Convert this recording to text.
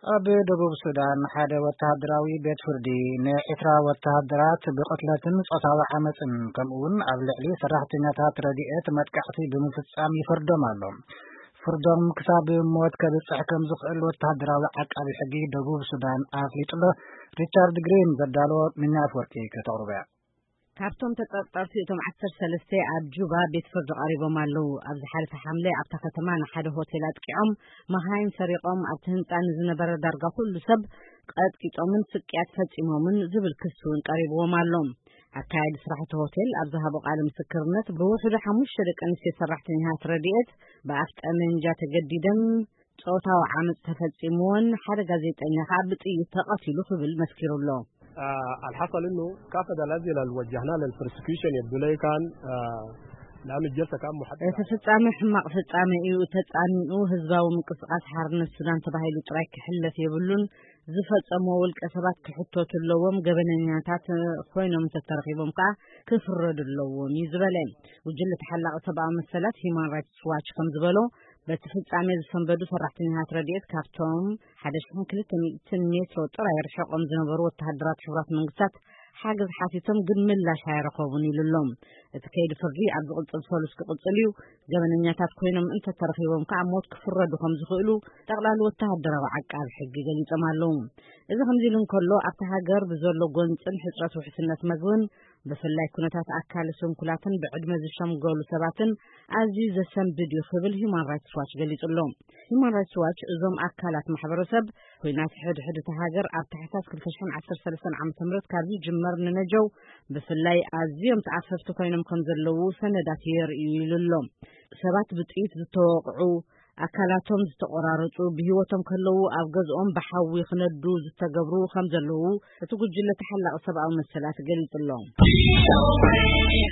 ኣብ ደቡብ ሱዳን ሓደ ወተሃደራዊ ቤት ፍርዲ ንዒስራ ወተሃደራት ብቕትለትን ጾታዊ ዓመጽን ከምኡውን ኣብ ልዕሊ ሰራሕተኛታት ረድኤት መጥቃዕቲ ብምፍጻም ይፈርዶም ኣሎ። ፍርዶም ክሳብ ሞት ከብጽሕ ከም ዝኽእል ወተሃደራዊ ዓቃቢ ሕጊ ደቡብ ሱዳን ኣፍሊጡ ኣሎ። ሪቻርድ ግሪን ዘዳለዎ ምኛ ኣፍወርቂ ከተቕርቦ እያ። ካብቶም ተጠርጠርቲ እቶም ዓሰርተ ሰለስተ ኣብ ጁባ ቤት ፍርዲ ቀሪቦም ኣለዉ። ኣብ ዝሓለፈ ሓምለ ኣብታ ከተማ ንሓደ ሆቴል ኣጥቂዖም፣ መኻይን ሰሪቖም፣ ኣብቲ ህንጻ ንዝነበረ ዳርጋ ኩሉ ሰብ ቀጥቂጦምን ስቅያት ፈጺሞምን ዝብል ክሲ እውን ቀሪብዎም ኣሎ። ኣካያዲ ስራሕ እቲ ሆቴል ኣብ ዝሃቦ ቃለ ምስክርነት፣ ብውሕዱ ሓሙሽተ ደቂ ኣንስትዮ ሰራሕተኛታት ረድኤት ብኣፍ ጠመንጃ ተገዲደን ጾታዊ ዓመጽ ተፈጺምዎን ሓደ ጋዜጠኛ ከኣ ብጥይት ተቐቲሉ ክብል መስኪሩ ኣሎ። آه، الحصل إنه كافة الأسئلة اللي وجهناها للبروسيكيوشن يبدو لي كان، آه، لأنه الجلسة كان محدد. እቲ ፍጻሜ ሕማቕ ፍጻሜ እዩ። ተጻሚኡ ህዝባዊ ምንቅስቃስ ሓርነት ሱዳን ተባሂሉ ጥራይ ክሕለፍ የብሉን። ዝፈጸምዎ ውልቀ ሰባት ክሕተቱ ኣለዎም። ገበነኛታት ኮይኖም እንተተረኺቦም ከኣ ክፍረዱ ኣለዎም እዩ ዝበለ። ጉጅለ ተሓላቒ ሰብኣዊ መሰላት ሂማን ራይትስ ዋች ከም ዝበሎ፣ በቲ ፍጻሜ ዝሰንበዱ ሰራሕተኛታት ረድኤት ካብቶም ሓደ ሽሕን ክልተ ሚእትን ሜትሮ ጥራይ ርሒቖም ዝነበሩ ወተሃደራት ሕቡራት መንግስታት ሓገዝ ሓቲቶም ግን ምላሽ ኣይረኸቡን ኢሉ ኣሎ። እቲ ከይዲ ፍርዲ ኣብ ዝቕጽል ሰሉስ ክቕጽል እዩ። ገበነኛታት ኮይኖም እንተተረኺቦም ከኣ ሞት ክፍረዱ ከም ዝኽእሉ ጠቕላሊ ወተሃደራዊ ዓቃቢ ሕጊ ገሊጾም ኣለዉ። እዚ ከምዚ ኢሉ እንከሎ፣ ኣብታ ሃገር ብዘሎ ጎንጽን ሕጽረት ውሕስነት መግብን ብፍላይ ኩነታት ኣካለ ስንኩላትን ብዕድመ ዝሸምገሉ ሰባትን ኣዝዩ ዘሰንብድ እዩ ክብል ሂማን ራይትስ ዋች ገሊጹ ኣሎ። ሂማን ራይትስ ዋች እዞም ኣካላት ማሕበረሰብ፣ ኲናት ሕድሕድ እታ ሃገር ኣብ ታሕሳስ ክልተ ሽሕን ዓሰርተ ሰለስተን ዓመተ ምህረት ካብ ዝጅመር ንነጀው ብፍላይ ኣዝዮም ተኣፈፍቲ ኮይኖም ከም ዘለዉ ሰነዳት የርእዩ ኢሉ ኣሎ። ሰባት ብጥይት ዝተወቕዑ፣ ኣካላቶም ዝተቖራረጹ፣ ብህይወቶም ከለዉ ኣብ ገዝኦም ብሓዊ ክነዱ ዝተገብሩ ከም ዘለዉ እቲ ጉጅለ ተሓላቒ ሰብኣዊ መሰላት ገሊጹ ኣሎ።